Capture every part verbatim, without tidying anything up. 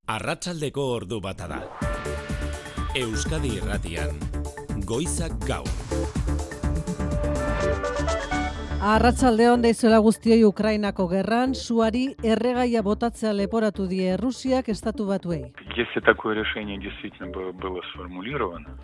Arratsaldeko ordu bata da. Euskadi Irratian, Goizak Gaur. Arratsaldeon deizuela guztioi. Ukrainako gerran suari erregaia botatzea leporatu die Errusiak Estatu Batuei. Если такое решение действительно было сформулировано.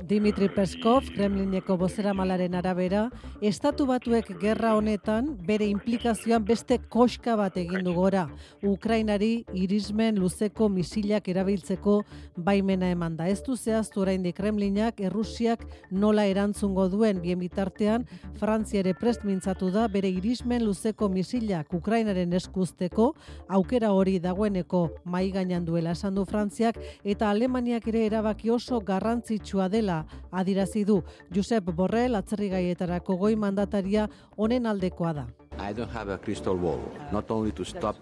Dimitri Peskov, Kremlineko bozeramalaren arabera, Estatu Batuek gerra honetan bere inplikazioan beste koska bat egin du gora. Ukrainari irismen luzeko misilak erabiltzeko baimena emanda. Ez du zehaztu oraindik Kremlinak Errusiak nola erantzungo duen. Bien bitartean, Frantzia ere prest mintzatu da bere irismen luzeko misilak Ukrainaren eskuzteko, aukera hori dagoeneko mahai gainean duela esan du Frantziak, eta Alemaniak ere erabaki oso garrantzitsua dela adirazi du. Josep Borrell, atzerrigaietarako goi mandataria, honen aldekoa da. I don't have a crystal ball, not only to stop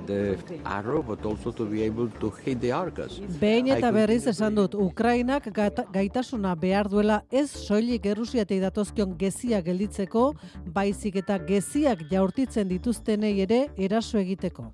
the arrow, but also to be able to hit the Arcas. Behin eta berriz esan dut, Ukrainak gaitasuna behar duela ez soilik Errusiatik datozkion geziak gelditzeko, baizik eta geziak jaurtitzen dituztenei ere eraso egiteko.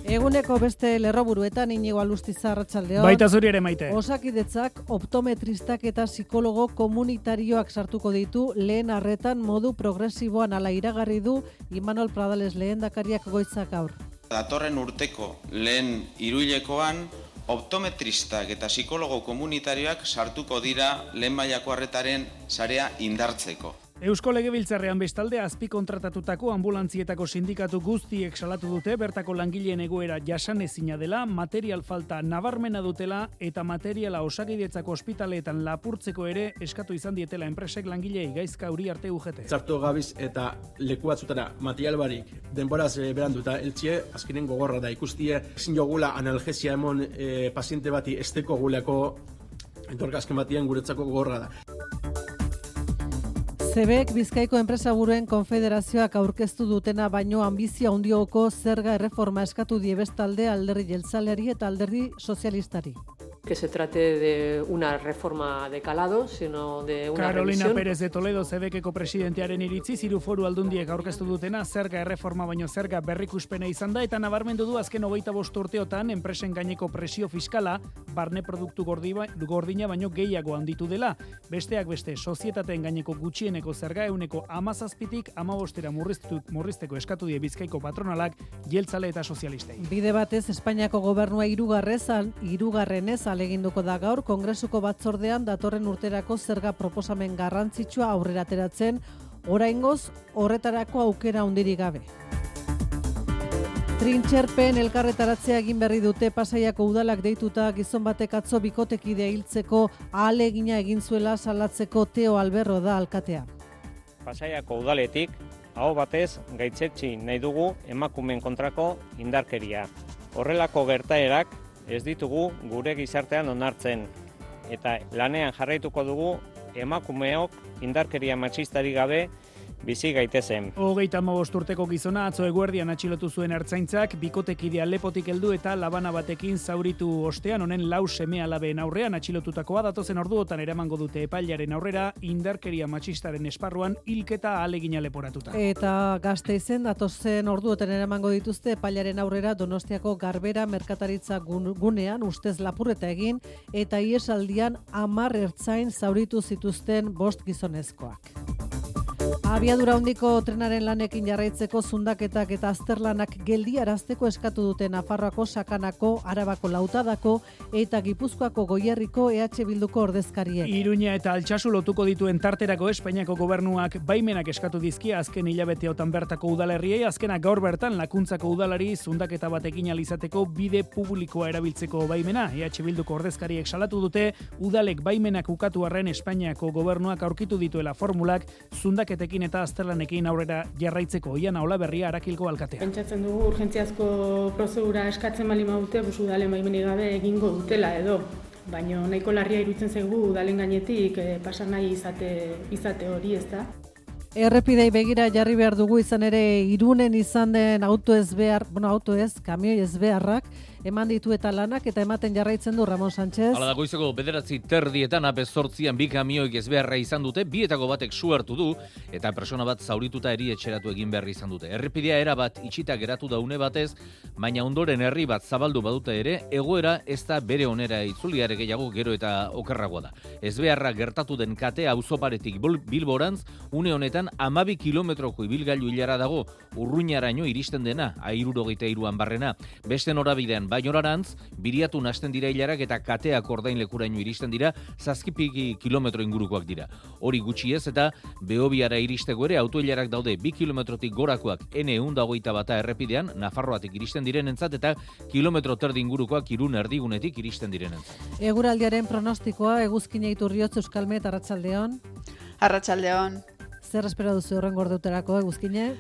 Eguneko beste lerroburuetan Inigo Alustiza, arratsaldeon. Baita zuri ere, Maite. Osakidetzak optometristak eta psikologo komunitarioak sartuko ditu lehen arretan modu progresiboan, ala iragarri du Imanol Pradales lehendakariak Goizak Gaur. Datorren urteko lehen hiruhilekoan optometristak eta psikologo komunitarioak sartuko dira lehen mailako arretaren sarea indartzeko. Eusko Legebiltzarrean bestalde azpikontratatutako ambulantzietako sindikatu guztiek salatu dute bertako langileen egoera jasanezina dela, material falta nabarmena dutela eta materiala Osakidetzako ospitaleetan lapurtzeko ere eskatu izan dietela enpresek langileei. Gaizka Uriarte U G T. Zartu gabiz eta leku batzutara material barik denboraz beranduta eltsie, azkenen gogorra da ikustie, ezin jogula analgesia emon e, paziente bati esteko guleko entorkazken batien guretzako gogorra da. Zebek Bizkaiko enpresaburuen konfederazioak aurkeztu dutena baino ambizia handioko zerga erreforma eskatu die bestalde alderdi jeltzaleari eta alderdi sozialistari. Que se trate de una reforma de calado, sino de una Carolina revisión. Pérez de Toledo, Zebekeko presidentearen iritzi, hiru foru aldundiek aurkeztu dutena zerga erreforma baino zerga berrikuspena izan da, eta nabarmendu du azken hogeita bost urteotan enpresen gaineko presio fiskala barne produktu gordina baino gehiago handitu dela. Besteak beste, sozietateen gaineko gutxieneko zerga euneko hamazazpitik hamabostera murrizteko eskatu die Bizkaiko patronalak, jeltzale eta sozialistei. Bide batez, Espainiako gobernua hirugarrezan, hirugarrenez aleginduko da gaur Kongresuko batzordean datorren urterako zerga proposamen garrantzitsua aurrera ateratzen, oraingoz horretarako aukera handirik gabe. Trintxerpen elkarretaratzea egin berri dute Pasaiako udalak deituta gizon batek atzo bikotekidea hiltzeko ahalegina egin zuela salatzeko Teo Alberro da alkatea. Pasaiako udaletik aho batez gaitzetsi nahi dugu emakumeen kontrako indarkeria. Horrelako gertaerak ez ditugu gure gizartean onartzen, eta lanean jarraituko dugu emakumeok indarkeria matxistari gabe bizi gaitezen. Hogeita hamabost urteko gizona atzo eguerdian atxilotu zuen ertzaintzak, bikotekidea lepotik heldu eta labana batekin zauritu ostean, honen lau seme alabeen aurrean atxilotutakoa datozen orduotan eramango dute epailearen aurrera indarkeria matxistaren esparruan hilketa ahalegina leporatuta. Eta Gasteizen datozen orduotan eramango dituzte epailearen aurrera Donostiako Garbera merkataritza gunean ustez lapurreta egin eta iesaldian hamar ertzain zauritu zituzten bost gizonezkoak. Abiadura handiko trenaren lanekin jarraitzeko zundaketak eta azterlanak geldiarazteko eskatu dute Nafarroako, Sakanako, Arabako, Lautadako eta Gipuzkoako Goierriko E H Bilduko ordezkariek. Iruña eta Altsasu lotuko dituen tarterako Espainiako gobernuak baimenak eskatu dizkia azken hilabeteotan bertako udalerriei, azkenak gaur bertan Lakuntzako udalari zundaketa batekin alizateko bide publikoa erabiltzeko baimena. E H Bilduko ordezkariek salatu dute udalek baimenak ukatu arren Espainiako gobernuak aurkitu dituela formulak zundaketekin eta azterlanekin aurrera jarraitzeko. Iana Olaberria, Arakilko alkatea. Pentsatzen dugu urgentziazko prozedura eskatzen bali maute, bus udalen baimenik gabe egingo dutela edo. Baina nahiko larria iruditzen zaigu udalen gainetik eh, pasa nahi izate, izate hori, ez da? Errepidei begira jarri behar dugu izan ere Irunen izan den auto ez behar, bueno, auto ez, kamioi ez beharrak, eman ditu eta lanak eta ematen jarraitzen du Ramon Sánchez. Hala da goizeko bederatzi terdietan apezortzian bi kamioik ez beharra izan dute, bietako batek su hartu du eta persona bat zaurituta erietxeratu egin behar izan dute. Errepidea era bat itxita geratu da une batez, baina ondoren herri bat zabaldu badute ere, egoera ez da bere onera itzuliare gehiago gero eta okerragoa da. Ez beharra gertatu den katea auzoparetik Bilborantz, une honetan amabi kilometroko ibilgailu hilara dago, Urruñaraino iristen dena, hirurogeita hiruan barrena. Beste norabidean Bainorarantz, Biriatun hasten dira hilarak eta kateak ordainlekuraino iristen dira, zazpiki kilometro ingurukoak dira. Hori gutxi ez eta Behobiara iristeko ere autohilarak daude bi kilometrotik gorakoak ene ehun eta hogeita bata errepidean, Nafarroatik iristen direnentzat eta kilometro terdi ingurukoak Irun erdigunetik iristen direnentzat. Eguraldiaren pronostikoa Eguzkina Iturriotz Euskalmet Arratsaldeon. Arratsaldeon. Zer espero duzu horrengo orduterako, Eguzkine?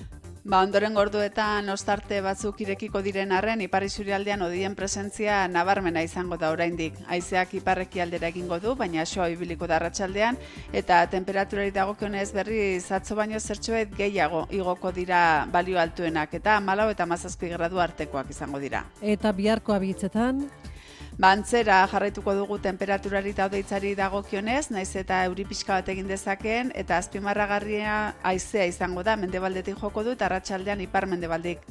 Ba, ondoren gorduetan ostarte batzuk irekiko diren arren, ipar isurialdean hodien presentzia nabarmena izango da oraindik. Haizeak iparreki aldera egingo du, baina soa ibiliko da arratsaldean, eta temperaturari dagokionez berriz atzo baino zertxoet gehiago igoko dira balio altuenak, eta hamalau eta hamazazpi gradu artekoak izango dira. Eta biharko abitzetan? Bantzera jarraituko dugu temperaturari eta hodeitzari dagokionez, naiz eta euri pixka bat egin dezakeen, eta azpimarragarria haizea izango da, mendebaldetik joko du, eta arratsaldean ipar-mendebaldetik,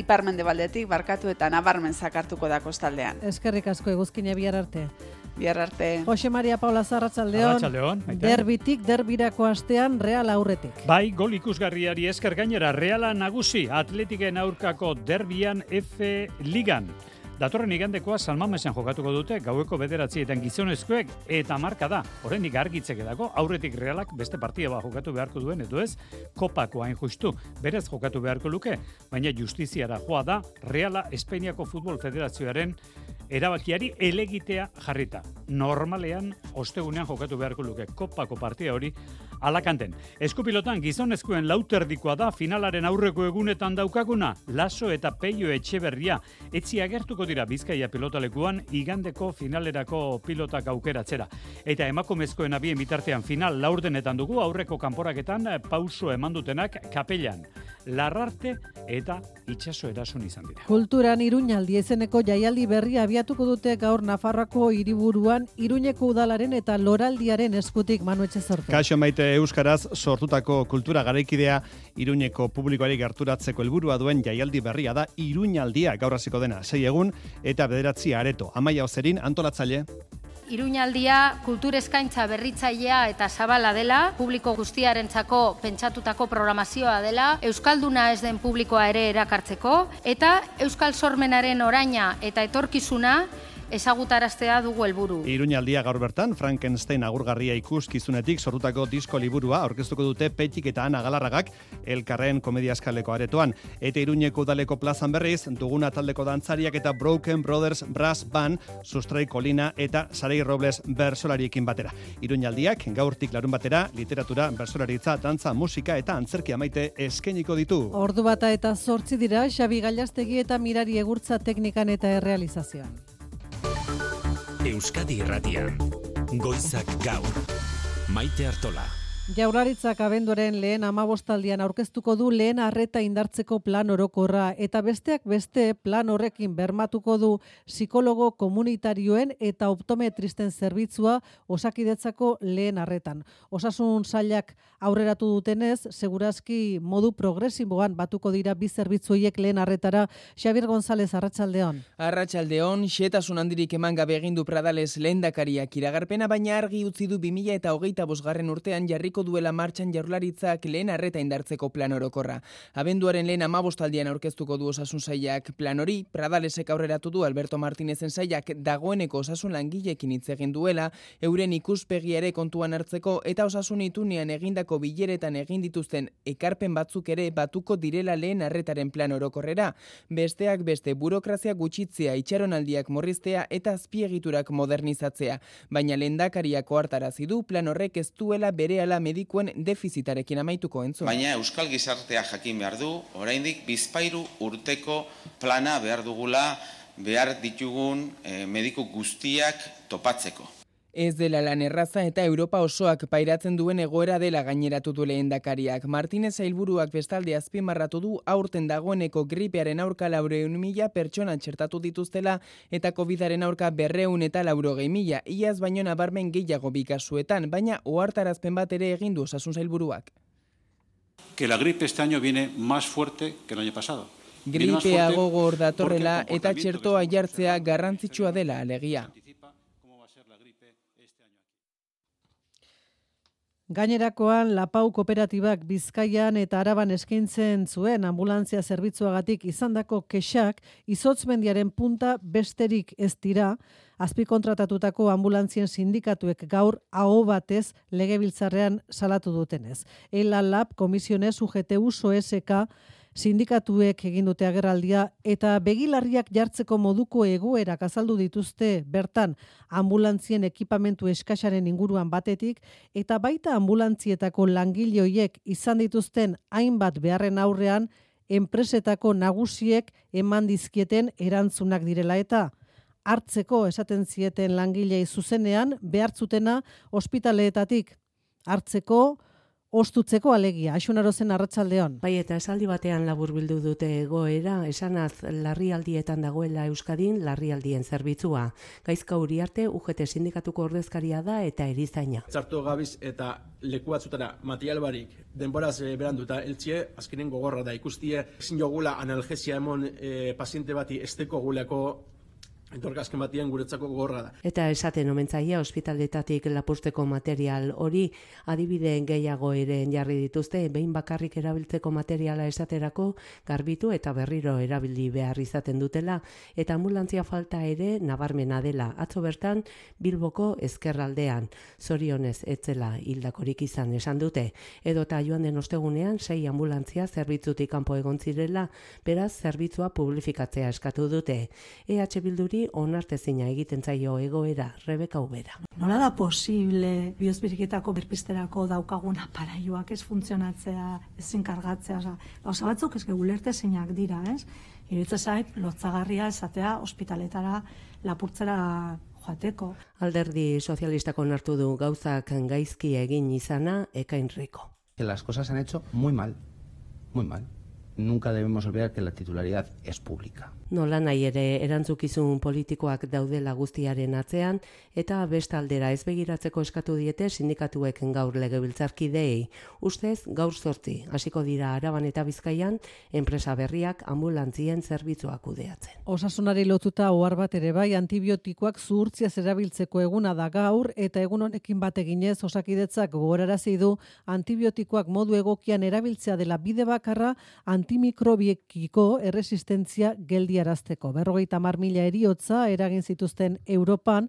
ipar-mendebaldetik barkatu eta nabarmen zakartuko da kostaldean. Eskerrik asko Eguzkina, bihar arte. Bihar arte. Jose Maria Paula Arratsaldeon. Arratsaldeon. Derbitik, derbirako astean Real aurretik. Bai, gol ikusgarriari esker gainera, Reala nagusi, Atletiken aurkako derbian F Ligan. Datorren igandekoa San Mamesen jokatuko dute, gaueko bederatzietan gizonezkoek eta marka da. Oraindik argitzeke dago, aurretik Realak beste partia bat jokatu beharko duen, edo ez, kopako hain justu, berez jokatu beharko luke, baina justiziara joa da Reala Espainiako Futbol Federazioaren erabakiari elegitea jarrita. Normalean, ostegunean jokatu beharko luke kopako partia hori Alakanten. Eskupilotan gizonezkoen lauterdikoa da finalaren aurreko egunetan daukaguna, Laso eta Peio Etxeberria. Etzi agertuko dira Bizkaia pilotalekuan igandeko finalerako pilotak aukeratzera. Eta emakumezkoen abien bitartean final laurdenetan dugu, aurreko kanporaketan pauso eman dutenak Kapellan, Larrarte eta Itxaso erason izan dira. Kulturan Iruñaldi izeneko jaialdi berria abiatuko dute gaur Nafarroako hiriburuan Iruñeko udalaren eta Loraldiaren eskutik Manu Etxezortu. Kaixo Maite, euskaraz sortutako kultura garaikidea Iruñeko publikoari gerturatzeko helburua duen jaialdi berria da Iruñaldia, gaur hasiko dena sei egun eta bederatzi areto. Amaia Ozerin antolatzaile. Iruñaldia kultur eskaintza berritzailea eta zabala dela, publiko guztiarentzako pentsatutako programazioa dela, euskalduna ez den publikoa ere erakartzeko, eta euskal sormenaren oraina eta etorkizuna ezagutaraztea dugu helburu. Iruñaldia gaur bertan, Frankenstein agurgarria ikuskizunetik sortutako disko liburua aurkeztuko dute Petik eta Ana Galarragak elkarren komedia eskaleko aretoan. Eta Iruñeko udaleko plazan berriz, Duguna taldeko dantzariak eta Broken Brothers Brass Band, Sustrai Kolina eta Sarei Robles bersolariekin batera. Iruñaldiak gaurtik larun batera, literatura, bersolaritza, dantza, musika eta antzerkia maite eskainiko ditu. Ordu bata eta zortzi dira, Xabi Gailastegi eta Mirari Egurtza teknikan eta errealizazioan. Euskadi Irratian, Goizak Gaur, Maite Artola. Jaurlaritzak abenduaren lehen hamabostaldian aurkeztuko du lehen arreta indartzeko plan orokorra eta besteak beste plan horrekin bermatuko du psikologo komunitarioen eta optometristen zerbitzua Osakidetzako lehen arretan. Osasun sailak aurreratu dutenez, segurazki modu progresiboan batuko dira bi zerbitzuiek lehen arretara. Xabier González, Arratsaldeon. Arratsaldeon, xehetasun handirik eman gabe egin du Pradales lehendakariak iragarpena, baina argi utzi du bi mila hogeita bosgarren urtean jarriko duela martxan Jaurlaritzak lehen arreta indartzeko plan orokorra. Abenduaren lehen hamabostaldian aurkeztuko du osasun sailak plan hori, Pradalesek aurreratu du Alberto Martinezen sailak dagoeneko osasun langileekin hitz egin duela, euren ikuspegi ere kontuan hartzeko eta osasun itunean egindako bileretan egin dituzten ekarpen batzuk ere batuko direla lehen arretaren plan orokorrera. Besteak beste burokrazia gutxitzea, itxaronaldiak morriztea eta azpiegiturak modernizatzea. Baina lehendakariak ohartarazi du plan horrek ez duela berehala medikuen defizitarekin amaituko entzun. Baina euskal gizartea jakin behar du, oraindik bizpahiru urteko plana behar dugula behar ditugun eh, mediku guztiak topatzeko. Ez dela lan erraza eta Europa osoak pairatzen duen egoera dela gaineratu du lehendakariak. Martinez sailburuak bestalde azpimarratu du aurten dagoeneko gripearen aurka laurehun mila pertsona txertatu dituztela eta covidaren aurka berrehun eta laurogei mila, iaz baino nabarmen gehiago bi kasuetan, baina ohartarazpen bat ere egin du osasun sailburuak. Que la gripe este año viene más fuerte que el año pasado. Gripea gogor datorrela eta txertoa jartzea garrantzitsua dela alegia. Gainerakoan, Lapau kooperatibak Bizkaian eta Araban eskaintzen zuen anbulantzia zerbitzuagatik izandako kexak izotzmendiaren punta besterik ez dira, azpikontratatutako anbulantzien sindikatuek gaur aho batez legebiltzarrean salatu dutenez. Ela Lab, Komisiones, U G T U, S O S K, sindikatuek egin dute agerraldia eta begilarriak jartzeko moduko egoerak azaldu dituzte bertan anbulantzien ekipamentu eskasaren inguruan batetik eta baita ambulantzietako langile horiek izan dituzten hainbat beharren aurrean enpresetako nagusiek eman dizkieten erantzunak direla eta hartzeko esaten zieten langilei zuzenean behartzutena ospitaleetatik hartzeko ostutzeko alegia. Aixunarozen arratsaldeon. Bai, eta esaldi batean laburbildu dute egoera, esanaz larrialdietan dagoela Euskadin larrialdien zerbitzua. Gaizka Uriarte, U G T sindikatuko ordezkaria da eta erizaina. Zartu gabiz eta leku batzutara material barik denboraz e, beranduta eltsie, azkenen gogorra da ikustie, ezin jogula analgesia emon e, paziente bati esteko guleko etorkazken batien guretzako gogorra da. Eta esaten omentzaia ospitaletatik lapurtzeko material hori adibide gehiago ere jarri dituzte, behin bakarrik erabiltzeko materiala esaterako garbitu eta berriro erabili behar izaten dutela, eta ambulantzia falta ere nabarmena dela. Atzo bertan Bilboko ezkerraldean, zorionez etzela hildakorik izan esan dute, edota joan den ostegunean sei ambulantzia zerbitzutik kanpo egon zirela, beraz zerbitzua publifikatzea eskatu dute. E H Bilduri onartezina egiten zaio egoera, Rebeka Ubera. Nola da posible bihozbiriketako berpisterako daukagun aparaioak ez funtzionatzea, ezin kargatzea, gauza batzuk ez ulertezinak dira, ez? Iruditzen zait lotsagarria esatea ospitaletara lapurtzera joateko. Alderdi sozialistak onartu du gauzak gaizki egin izana Ekain Rico. Que las cosas han hecho muy mal, muy mal. Nunca debemos olvidar que la titularidad es pública. Nola nahi ere erantzukizun politikoak daudela guztiaren atzean eta bestaldera ez begiratzeko eskatu diete sindikatuek gaur legebiltzarkideei. Ustez gaur zortzi hasiko dira Araban eta Bizkaian enpresa berriak anbulantzien zerbitzua kudeatzen. Osasunari lotuta ohar bat ere bai antibiotikoak zuhurtziaz erabiltzeko eguna da gaur eta egun honekin bat eginez Osakidetzak gogorarazi du antibiotikoak modu egokian erabiltzea dela bide bakarra antimikrobiekiko erresistentzia geldi arazteko. Berrogeita hamar mila eriotza eragin zituzten Europan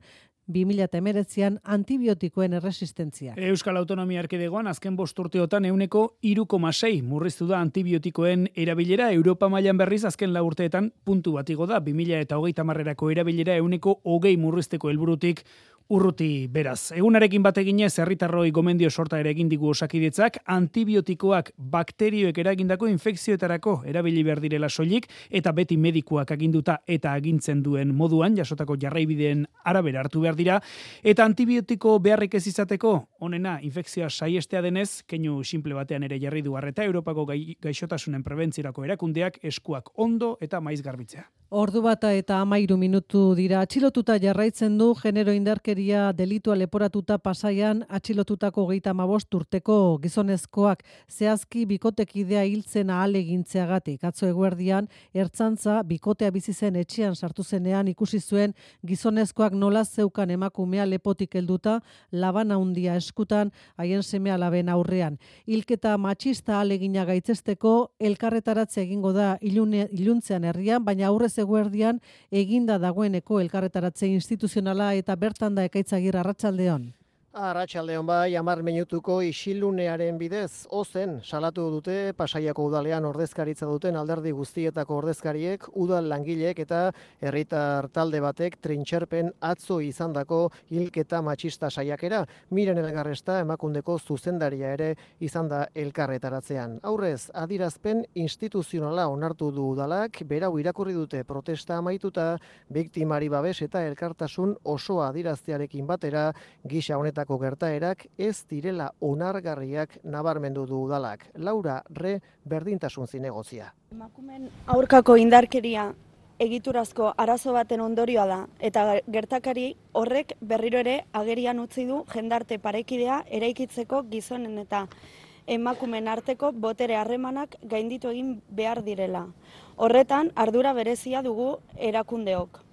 bi mila hemeretzian antibiotikoen erresistentzia. Euskal Autonomia Erkidegoan azken bost urteotan ehuneko hiru koma sei murriztu da antibiotikoen erabilera. Europa mailan berriz azken lau urteetan puntu bat igo da. bi mila hogeita hamarerako erabilera ehuneko hogei murrizteko helburutik urruti beraz. Egunarekin bat eginez herritarroi gomendio sorta ere egin digu Osakidetzak, antibiotikoak bakterioek eragindako infekzioetarako erabili behar direla soilik eta beti medikuak aginduta eta agintzen duen moduan jasotako jarraibideen arabera hartu behar dira eta antibiotiko beharrik ez izateko onena infekzioa saiestea denez, keinu simple batean ere jarri du arreta Europako gai, gaixotasunen prebentzirako erakundeak eskuak ondo eta maiz garbitzea. Ordu bata eta hamairu minutu dira. Atxilotuta jarraitzen du genero indarkeria delitua leporatuta Pasaian atxilotutako hogeita hamabost urteko gizonezkoak zehazki bikotekidea hiltzen ahalegintzeagatik. Atzo eguerdian ertzantza bikotea bizi zen etxean sartu zenean ikusi zuen gizonezkoak nola zeukan emakumea lepotik helduta labana handia eskutan haien seme-alaben aurrean. Hilketa matxista ahalegina gaitzesteko elkarretaratze egingo da ilune, iluntzean herrian, baina aurrez eguerdian eginda dagoeneko elkarretaratze instituzionala eta bertan da Ekaitz Agirre arratsaldeon. Arratsaldeon bai, hamar minutuko isilunearen bidez, ozen salatu dute Pasaiako udalean ordezkaritza duten alderdi guztietako ordezkariek, udal langileek eta herritar talde batek trintxerpen atzo izandako hilketa matxista saiakera. Miren Elgarresta Emakundeko zuzendaria ere izan da elkarretaratzean. Aurrez, adirazpen instituzionala onartu du udalak, berau irakurri dute protesta amaituta, biktimari babes eta elkartasun osoa adiraztearekin batera, gisa honetan gertaerak ez direla onargarriak nabarmendu du udalak. Laura Re berdintasun zinegozia. Emakumeen aurkako indarkeria egiturazko arazo baten ondorioa da eta gertakari horrek berriro ere agerian utzi du jendarte parekidea eraikitzeko gizonen eta emakumeen arteko botere harremanak gainditu egin behar direla. Horretan ardura berezia dugu erakundeok.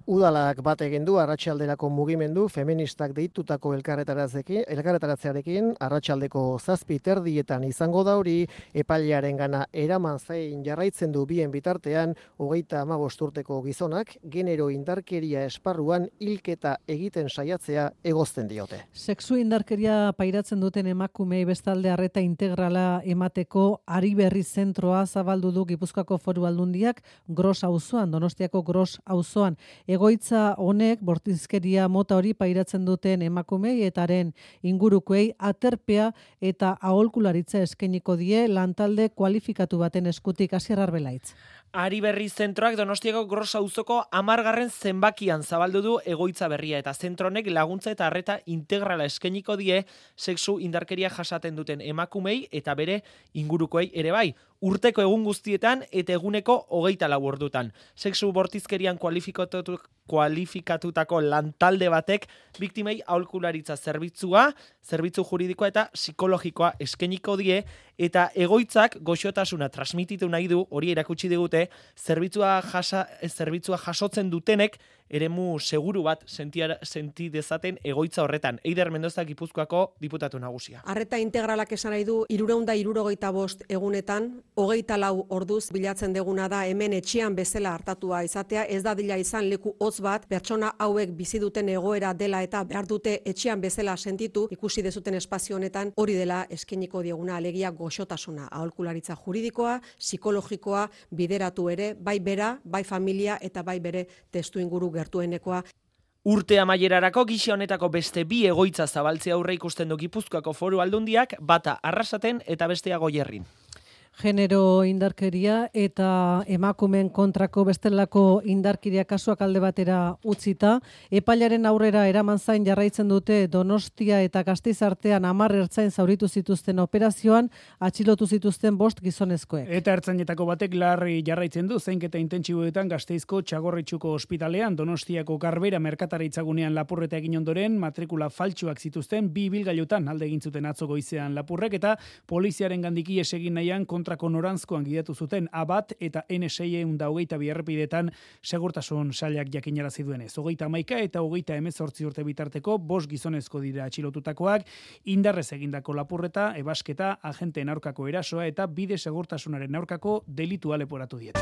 Udalak bat egin du arratsalderako mugimendu feministak deitutako elkarretaratzearekin, arratsaldeko zazpi terdietan izango da hori, epailearengana eraman zain jarraitzen du bien bitartean, hogeita hamabost urteko gizonak, genero indarkeria esparruan hilketa egiten saiatzea egozten diote. Sexu indarkeria pairatzen duten emakumei bestalde arreta integrala emateko Ari Berri zentroa zabaldu du Gipuzkoako Foru Aldundiak Gros auzoan, Donostiako Gros auzoan. Egoitza honek bortizkeria mota hori pairatzen duten emakumei etaren ingurukoei aterpea eta aholkularitza eskainiko die lantalde kualifikatu baten eskutik. Asier Arbelaitz. Ari Berri zentroak Donostiako Gros auzoko hamargarren zenbakian zabaldu du egoitza berria eta zentronek laguntza eta arreta integrala eskainiko die sexu indarkeria jasaten duten emakumei eta bere ingurukoei ere bai. Urteko egun guztietan eta eguneko hogeita lau ordutan. Sexu bortizkerian kualifikatu, kualifikatutako lantalde batek biktimei aholkularitza zerbitzua, zerbitzu juridikoa eta psikologikoa eskainiko die eta egoitzak goxotasuna transmititu nahi du, hori erakutsi digute, zerbitzua, jasa, zerbitzua jasotzen dutenek eremu seguru bat sentiara, senti dezaten egoitza horretan. Eider Mendoza Gipuzkoako diputatu nagusia. Arreta integralak esan nahi du hirurehun eta hirurogeita bost egunetan, hogeita lau orduz bilatzen deguna da hemen etxean bezala hartatua izatea, ez da dila izan leku hotz bat, pertsona hauek bizi duten egoera dela eta behar dute etxean bezala sentitu, ikusi dezuten espazio honetan, hori dela eskainiko dieguna, alegia goxotasuna, aholkularitza juridikoa, psikologikoa, bideratu ere, bai bera, bai familia eta bai bere testu inguru gertuenekoa. Urte amaierarako gisa honetako beste bi egoitza zabaltzea aurre ikusten du Gipuzkoako Foru Aldundiak, bata Arrasaten eta bestea Goierrin. Genero indarkeria eta emakumeen kontrako bestelako indarkeria kasuak alde batera utzita, epailaren aurrera eraman zain jarraitzen dute Donostia eta Gasteiz artean hamar ertzain zauritu zituzten operazioan, atxilotu zituzten bost gizonezkoek. Eta ertzainetako batek larri jarraitzen du zainketa intentsiboetan Gasteizko Txagorritxuko ospitalean, Donostiako Garbera merkataritzagunean lapurreta egin ondoren, matrikula faltsuak zituzten bi ibilgailutan alde egin zuten atzo goizean lapurrek eta poliziaren gandik ihes egin nahian kontrako noranzkoan gidatu zuten Abat eta N seiehun eta hogeita bi errepidetan segurtasun sailak jakinarazi duenez. Hogeita hamaika eta hogeita hemezortzi urte bitarteko bost gizonezko dira atxilotutakoak, indarrez egindako lapurreta, ebasketa, agenteen aurkako erasoa eta bide segurtasunaren aurkako delitua leporatu diete.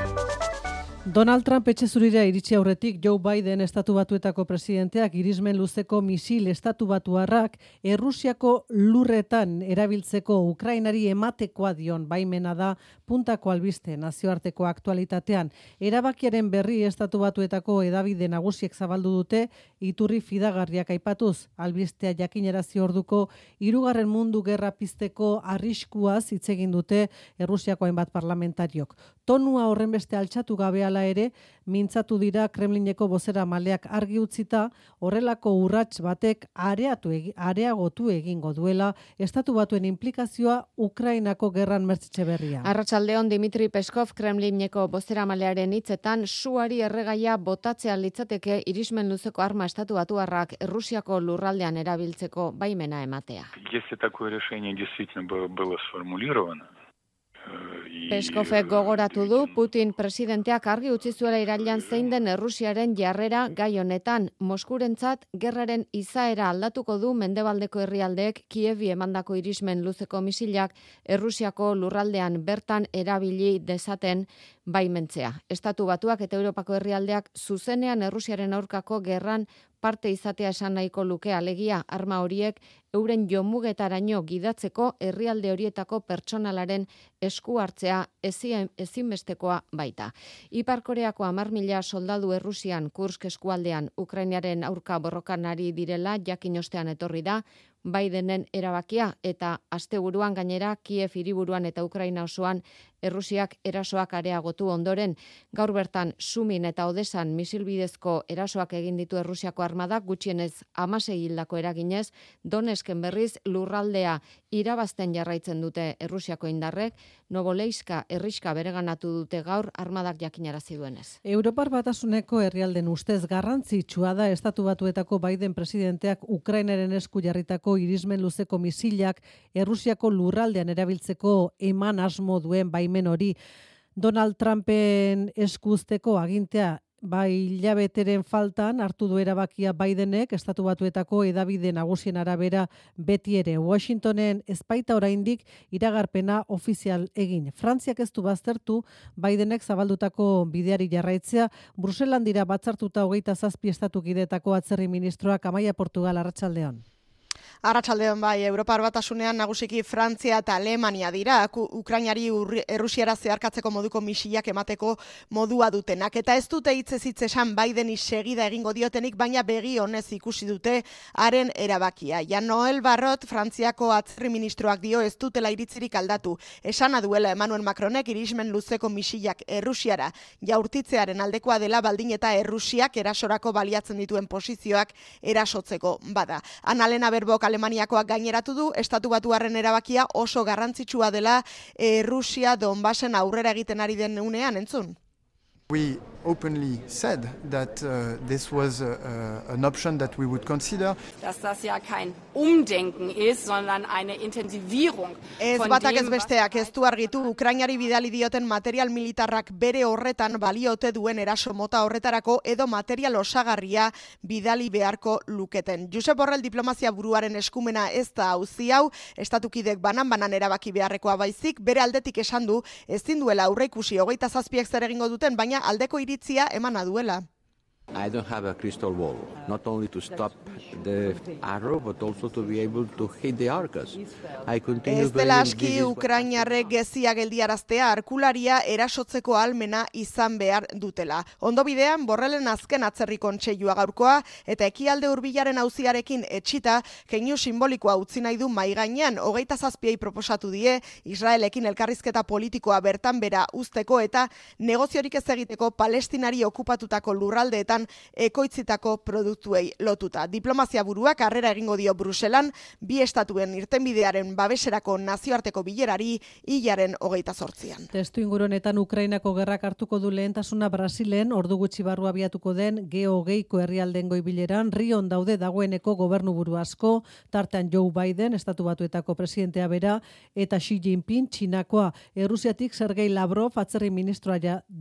Donald Trump etxe zurira iritsi aurretik Joe Biden estatu batuetako presidenteak irismen luzeko misil estatu batuarrak Errusiako lurretan erabiltzeko Ukrainari ematekoa dion baimena da puntako albiste nazioarteko aktualitatean. Erabakiaren berri estatu batuetako hedabide nagusiek zabaldu dute iturri fidagarriak aipatuz, albistea jakinarazi orduko hirugarren mundu gerra pizteko arriskuaz hitz egin dute Errusiako hainbat parlamentariok. Tonua horren beste altxatu gabe hala ere, mintzatu dira Kremlineko bozera maleak argi utzita, horrelako urrats batek areatu egi, areagotu egingo duela estatu batuen implikazioa Ukrainako gerran mertzitxe berria. Arratsaldeon Dimitri Peskov Kremlineko bozera malearen hitzetan suari erregaia botatzea litzateke irismen luzeko arma estatu batuarrak Errusiako lurraldean erabiltzeko baimena ematea. Если такое решение действительно было сформулировано, Peskovek gogoratu du Putin presidenteak argi utzi zuela irailean zein den Errusiaren jarrera gai honetan. Moskurentzat gerraren izaera aldatuko du mendebaldeko herrialdeek Kievi emandako irismen luzeko misilak Errusiako lurraldean bertan erabili dezaten baimentzea. Estatu Batuak eta Europako herrialdeak zuzenean Errusiaren aurkako gerran parte izatea esan nahiko luke, alegia arma horiek euren jomugetaraino gidatzeko herrialde horietako pertsonalaren esku hartzea ezinbestekoa baita. Ipar Koreako hamar mila soldadu Errusian Kursk eskualdean Ukrainaren aurka borrokan ari direla jakin ostean etorri da Bidenen erabakia, eta asteburuan gainera Kiev hiriburuan eta Ukraina osoan Errusiak erasoak areagotu ondoren, gaur bertan Sumin eta Odesan misilbidezko erasoak egin ditu Errusiako armadak, gutxienez hamasei hildako eraginez, Donetsken berriz lurraldea irabazten jarraitzen dute Errusiako indarrek, Novoleiska herriska bereganatu dute gaur armadak jakinarazi duenez. Europar Batasuneko herrialden ustez garrantzitsua da Estatu Batuetako Biden presidenteak Ukrainaren esku jarritako irismen luzeko misilak Errusiako lurraldean erabiltzeko eman asmo duen baimen hori. Donald Trumpen eskuzteko agintea bai hilabeteren faltan hartu du erabakia Bidenek, Estatu Batuetako hedabide nagusien arabera beti ere. Washingtonen ezpaita oraindik iragarpena ofizial egin. Frantziak ez du baztertu Bidenek zabaldutako bideari jarraitzea. Bruselan dira batzartuta hogeita zazpi estatukidetako atzerri ministroak. Amaia Portugal, arratsaldeon. Arratsaldeon bai, Europar Batasunean nagusiki Frantzia eta Alemania dira, Ukrainari Errusiara zeharkatzeko moduko misilak emateko modua dutenak. Eta ez dute hitzez hitz esan Bideni segida egingo diotenik, baina begi honez ikusi dute haren erabakia. Jan Noel Barrot, Frantziako atzerri ministroak dio ez dutela iritzirik aldatu. Esana duela Emmanuel Macronek irismen luzeko misilak Errusiara jaurtitzearen aldekoa dela, baldin eta Errusiak erasorako baliatzen dituen posizioak erasotzeko bada. Annalena Berbok Alemaniakoak gaineratu du, Estatu Batuarren erabakia oso garrantzitsua dela Errusia Donbasen aurrera egiten ari den unean, entzun. We openly said that uh, this was uh, an option that we would consider. Dass das ja kein Umdenken ist, sondern eine Intensivierung. Ez batak ez besteak ez du argitu Ukrainari bidali dioten material militarrak bere horretan baliote duen eraso mota horretarako edo material osagarria bidali beharko luketen. Josep Borrell diplomazia buruaren eskumena ez da auzi hau, estatukidek banan-banan erabaki beharrekoa baizik, bere aldetik esan du ezin duela aurreikusi hogeita zazpiek zer egingo duten, baina aldeko iritzia emana duela. I don't have a crystal ball, not only to stop the arrow, but also to be able to hit the arcas. I continue Ez dela aski Ukrainarrek gezia geldiaraztea, arkularia erasotzeko almena izan behar dutela. Ondo bidean, Borrellen azken atzerri kontseilua gaurkoa, eta ekialde hurbilaren auziarekin etxita, keinu simbolikoa utzi nahi du mai gainean, hogeita zazpiei proposatu die, Israelekin elkarrizketa politikoa bertan bera uzteko eta negoziorik ez egiteko Palestinari okupatutako lurraldeetan ekoitzitako produktuei lotuta. Diplomazia buruak harrera egingo dio Bruselan, bi estatuen irtenbidearen babeserako nazioarteko bilerari hilaren hogeita zortzian. Testu ingurunetan Ukrainako gerrak hartuko du lehentasuna Brasilen, ordu gutxi barru abiatuko den G hogeiko herrialden goibileran, Rion daude dagoeneko gobernuburu asko, tartean Joe Biden, Estatu Batuetako presidentea bera, eta Xi Jinping, Txinakoa. Errusiatik Sergei Lavrov, atzerri ministroa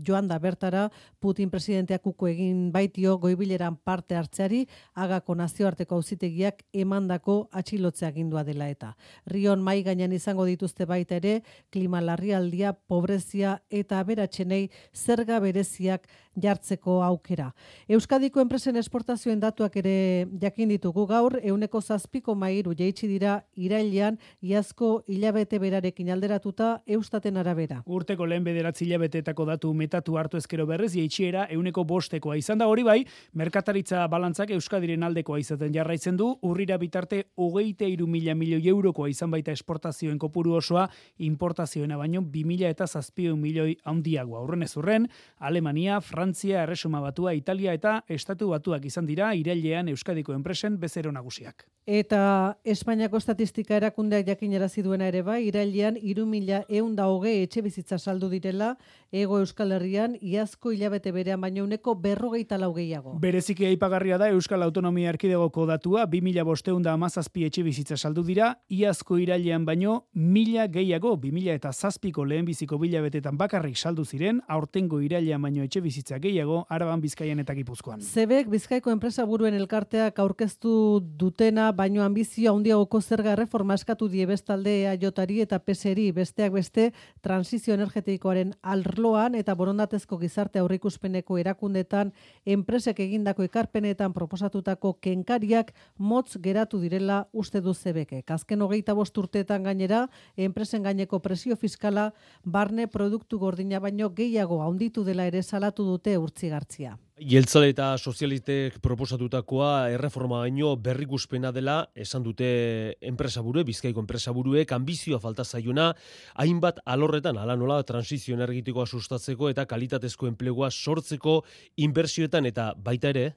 joan da bertara, Putin presidenteak uko egin baitio goibileran parte hartzeari, Hagako nazioarteko auzitegiak emandako atxilotzea agindua dela eta. Rion mai gainean izango dituzte baita ere, klima larrialdia, pobrezia eta aberatsenei zerga bereziak jartzeko aukera. Euskadiko enpresen esportazioen datuak ere jakin ditugu gaur, euneko zazpiko mairu jaitsi dira irailean, iazko hilabete berarekin alderatuta Eustaten arabera. Urteko lehen bederatzi hilabeteetako datu metatu hartu ezkero berrez, jaitsiera euneko bostekoa izan da. Hori bai, merkataritza balantzak Euskadiren aldekoa izaten jarraitzen du, urrira bitarte hogeita hiru mila milioi eurokoa izan baita esportazioen kopuru osoa, importazioena baino bi mila eta zazpiehun milioi handiagoa. Aurrenez urren, Alemania, Frantzia, Erresuma Batua, Italia eta Estatu Batuak izan dira irailean Euskadiko enpresen bezero nagusiak. Eta Espainiako estatistika erakundeak jakinarazi duena ere bai, irailean hiru mila ehun eta hogei etxe bizitza saldu direla, Hego Euskal Herrian iazko hilabete berean baino uneko berrogeita lau gehiago. Bereziki aipagarria da Euskal Autonomia Erkidegoko datua, bi mila bostehun eta hamazazpi etxe bizitza saldu dira, iazko irailean baino mila gehiago, bi mila eta zazpiko lehenbiziko bilabetetan bakarrik saldu ziren, aurtengo irailean baino etxe bizitza gehiago, Araban, Bizkaian eta Gipuzkoan. Zebek Bizkaiko enpresa buruen elkarteak aurkeztu dutena baino ambizio handiagoko zerga erreforma eskatu die bestalde E A Jari eta P S eri besteak beste transizio energetikoaren arloan eta borondatezko gizarte aurreikuspeneko erakundetan enpresek egindako ekarpenetan proposatutako kenkariak motz geratu direla uste du Zebekek. Azken hogeita bost urteetan gainera, enpresen gaineko presio fiskala barne produktu gordina baino gehiago handitu dela ere salatu dute Urtzigartzia. Jeltzale eta sozialistek proposatutakoa erreforma baino berrikuspena dela, esan dute enpresaburu, Bizkaiko enpresaburuek, ambizioa falta zaiona, hainbat alorretan, ala nola, transizio energetikoa sustatzeko eta kalitatezko enplegua sortzeko inbertsioetan eta baita ere.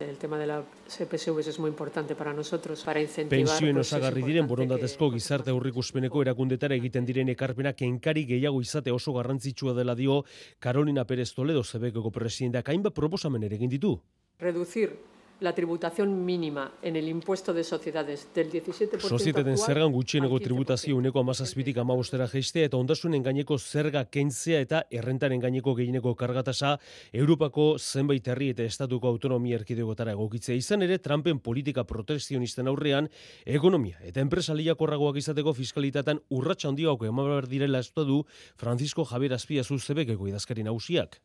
El tema de la C P S V es muy importante para nosotros, para incentivar... Pentsioen osagarri diren borondatezko gizarte aurreikuspeneko erakundetara egiten diren ekarpena kenkari gehiago izate oso garrantzitsua dela dio Carolina Pérez Toledo Zebekeko presidenteak hainbat proposamen ere egin ditu. Reducir la tributación mínima en el impuesto de sociedades del diecisiete por ciento Sozietaten actual zergan gutxieneko tributazio uneko hamazazpitik hamabostera jaistea eta ondasunen gaineko zerga kentzea eta errentaren gaineko gehieneko kargatasa Europako zenbait herri eta estatuko autonomia erkidegotara egokitzea. Izan ere, Trumpen politika protekzionisten aurrean ekonomia eta enpresa lehiakorragoak izateko fiskalitatean urratsa handiago eman behar direla estu du Francisco Javier Azpiazu Zebekeko idazkari nagusiak.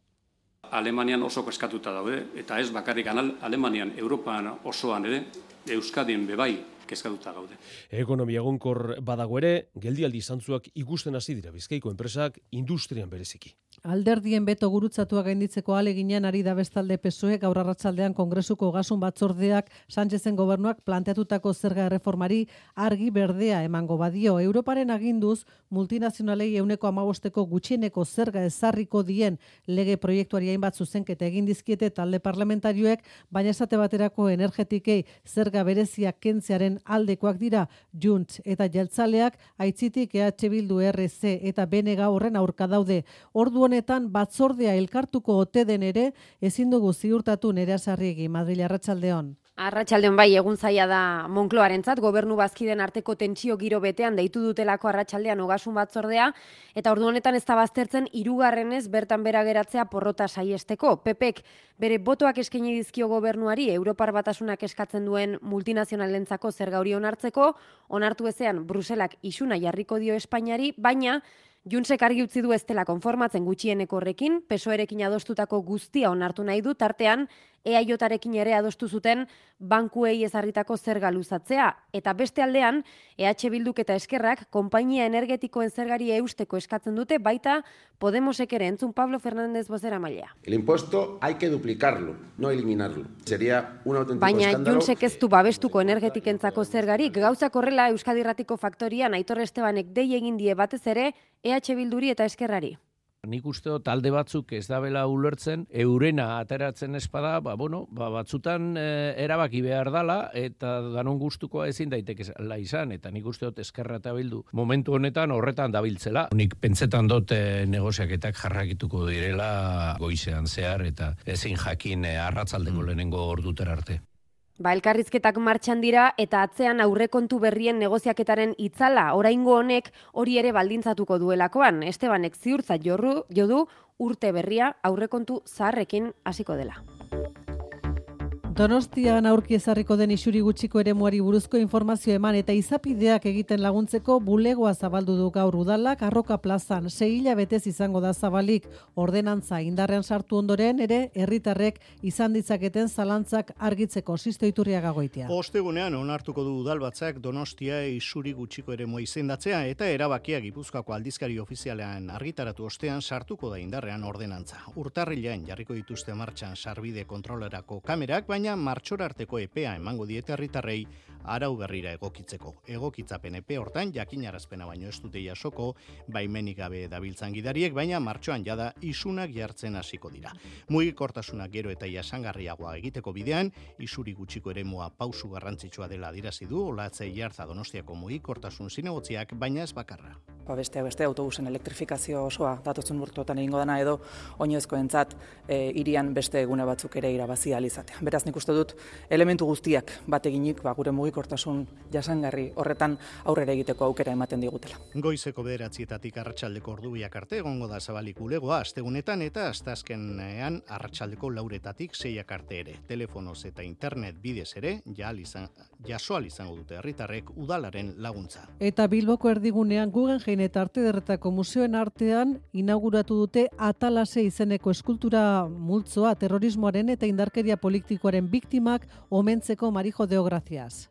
Alemanian oso eskatuta daude, eta ez bakarrik Alemanian, Europan osoan ere, Euskadin bebai kezkatuta gaude. Ekonomia egonkor badago ere, geldialdi zantzuak ikusten hasi dira Bizkaiko enpresak industrian bereziki. Alderdien beto gurutzatua gainditzeko aleginean ari da bestalde P S O E gaur arratsaldean Kongresuko Ogasun Batzordeak Sánchezen gobernuak planteatutako zerga erreformari argi berdea emango badio. Europaren aginduz multinazionalei ehuneko hamabosteko gutxieneko zerga ezarriko dien lege proiektuari hainbat zuzenketa egin dizkiete talde parlamentarioek, baina esate baterako energetikei zerga bereziak kentzearen aldekoak dira Junts eta Jeltzaleak aitzitik E H Bildu, R C eta B N G horren aurka daude. Ordu honetan batzordea elkartuko ote den ere ezin dugu ziurtatu Nerea Sarriegi, Madril arratsaldeon. Arratsaldeon bai, egun zaila da Moncloarentzat, gobernu bazkiden arteko tentsio giro betean deitu dutelako arratsaldean Ogasun Batzordea, eta ordu honetan ez da baztertzen hirugarrenez bertan bera geratzea porrota saiesteko. P Pek bere botoak eskaini dizkio gobernuari Europar Batasunak eskatzen duen multinazionalentzako zerga hori onartzeko, onartu ezean Bruselak isuna jarriko dio Espainiari, baina Juntsek argi utzi du ez dela konformatzen gutxieneko horrekin, P S O Erekin adostutako guztia onartu nahi du, tartean E A Jarekin ere adostu zuten bankuei ezarritako zerga luzatzea, eta beste aldean E H Bilduk eta Eskerrak konpainia energetikoen zergari eusteko eskatzen dute, baita Podemosek ere, entzun Pablo Fernández bozeramailea. El impuesto hay que duplicarlo, no eliminarlo. Sería un auténtico Baina escándalo. Juntsek ez du babestuko energetikentzako zergarik, gauzak horrela Euskadi Irratiko faktorian Aitor Estebanek dei egin die batez ere E H Bilduri eta Eskerrari. Nik uste talde batzuk ez dabela ulertzen, eurena ateratzen espada, ba, bueno, ba, batzutan e, erabaki behar dala, eta danon gustukoa ezin daitekela izan, eta nik uste dut Eskerra eta Bildu momentu honetan horretan dabiltzela. Nik pentsetan dut e, negoziaketak jarrakituko direla goizean zehar, eta ezin jakin e, arratsaldeko lehenengo ordutera arte. Ba, elkarrizketak martxan dira eta atzean aurrekontu berrien negoziaketaren itzala, oraingo honek hori ere baldintzatuko duelakoan. Estebanek ziurtzat jorru, jodu urte berria aurrekontu zaharrekin hasiko dela. Donostian aurki ezarriko den isuri gutxiko eremuari buruzko informazio eman eta izapideak egiten laguntzeko bulegoa zabaldu du gaur udalak Arroka plazan sei hilabetez izango da zabalik. Ordenantza indarrean sartu ondoren ere herritarrek izan ditzaketen zalantzak argitzeko. Sisto Iturriaga Goitia. Ostegunean onartuko du udalbatzak Donostia isuri gutxiko eremua izendatzea eta erabakia Gipuzkoako aldizkari ofizialean argitaratu ostean sartuko da indarrean ordenantza. Urtarrilean jarriko dituzte martxan sarbide kontrolerako kamerak, baina martxora arteko epea emango diete herritarrei arau berrira egokitzeko. Egokitzapen epe hortan jakinarazpena baino ez dute jasoko baimenik gabe dabiltzan gidariek, baina martxoan jada isunak jartzen hasiko dira. Mugikortasuna gero eta jasangarriagoa egiteko bidean, isuri gutxiko eremua pausu garrantzitsua dela adierazi du Olatze Iarza Donostiako mugikortasun zinegotziak, baina ez bakarra. Ba beste beste autobusen elektrifikazio osoa datotzen urteotan egingo dana edo oinezkoentzat e, hirian beste egune batzuk ere irabazi ahal izatea. Beraz nik nik uste dut elementu guztiak bat eginik ba, gure mugikortasun jasangarri horretan aurrera egiteko aukera ematen digutela. Goizeko bederatzietatik arratsaldeko ordu biak arte egongo da zabalik bulegoa astegunetan eta asteazkenean arratsaldeko lauretatik seiak arte ere. Telefonoz eta internet bidez ere izan, jasoal izango dute herritarrek udalaren laguntza. Eta Bilboko erdigunean Guggenheim eta Arte Ederretako museoen artean inauguratu dute Atalase izeneko eskultura multzoa terrorismoaren eta indarkeria politikoaren biktimak omentzeko. Marijo Deogracias.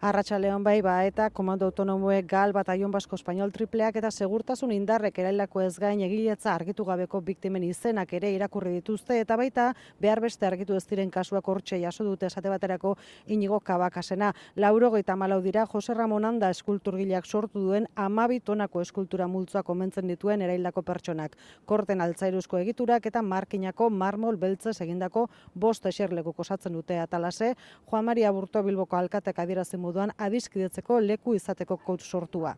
Arratsaldeon bai ba eta komando autonomoek gal bataion basko espainol tripleak eta segurtasun indarrek eraildako ez gain egiletza argitu gabeko biktimen izenak ere irakurri dituzte eta baita behar beste argitu ez diren kasuak hortxe jaso dute esate baterako Inigo Kabakasena. laurogeita hamalau dira Jose Ramon Anda eskulturgileak sortu duen hamabi tonako eskultura multzoak omentzen dituen eraildako pertsonak. Korten altzairuzko egiturak eta markinako marmol beltzez egindako bost eserlekuk osatzen dute Atalase. Juan Maria Burto Bilboko alkatek adierazi moduan adiskidetzeko leku izateko kaut sortua.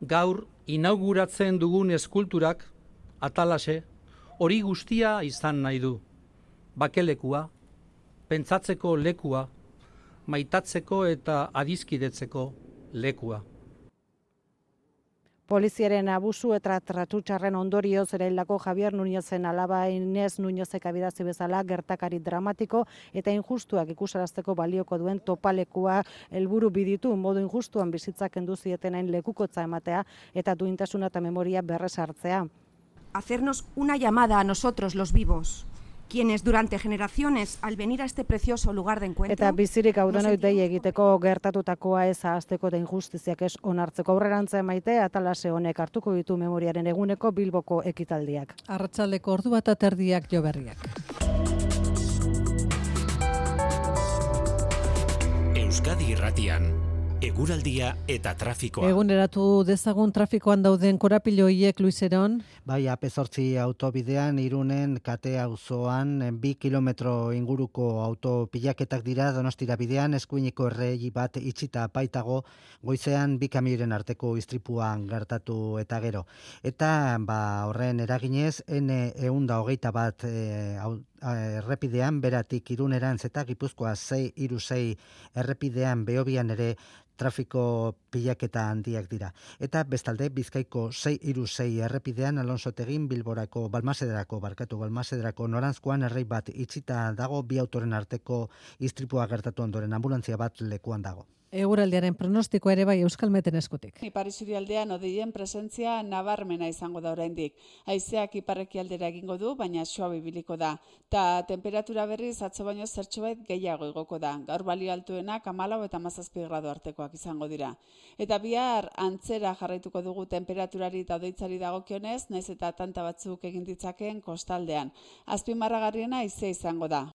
Gaur inauguratzen dugun eskulturak Atalase hori guztia izan nahi du. Bakelekua, pentsatzeko lekua, maitatzeko eta adiskidetzeko lekua. Poliziaren abusu eta tratutxarren ondorioz eraildako Javier Núñezen alaba Inez Núñezek adierazi bezala gertakari dramatiko eta injustuak ikusarazteko balioko duen topalekua helburu biditu modu injustuan bizitzak kendu zietenain lekukotza ematea eta duintasuna eta memoria berresartzea. Hacernos una llamada a nosotros los vivos, quienes durante generaciones al venir a este precioso lugar de encuentro... Eta bizirik audonoi dei egiteko gertatutakoa ez ahazteko eta injustiziak ez onartzeko aurrerantza emaite Atalase honek hartuko ditu memoriaren eguneko Bilboko ekitaldiak. Arratsaldeko ordu bat aterdiak jo berriak. Euskadi Irratian, eguraldia eta trafikoa. Eguneratu dezagun trafikoan dauden korapiloiek, Luis Eron. Bai, A P zortzi autobidean Irunen kate auzoan bi kilometro inguruko autopilaketak dira Donostira bidean, eskuineko errei bat itxita baitago, goizean bi kamioiren arteko istripuan gertatu eta gero. Eta ba, horren eraginez, N ehun eta hogeita bat e, errepidean, beratik Irunerantz eta Gipuzkoa sei hiru sei errepidean Behobian ere trafiko pilaketa handiak dira. Eta bestalde Bizkaiko sei hiru sei errepidean Alonsotegin Bilborako Balmasederako barkatu Balmasederako noranzkoan errei bat itxita dago, bi autoren arteko istripua gertatu ondoren anbulantzia bat lekuan dago. Eguraldiaren pronostiko ere bai Euskalmeten eskutik. Ipar isurialdean odeien presentzia nabarmena izango da oraindik. Haizeak iparrekialdera egingo du, baina suabe ibiliko da. Ta temperatura berriz atzo baino zertxobait gehiago igoko da. Gaur balio altuenak hamalau eta hamazazpi gradu artekoak izango dira. Eta bihar antzera jarraituko dugu temperaturari eta odeitzari dagokionez, naiz eta tanta batzuk egin ditzakeen kostaldean. Azpimarragarriena haizea izango da.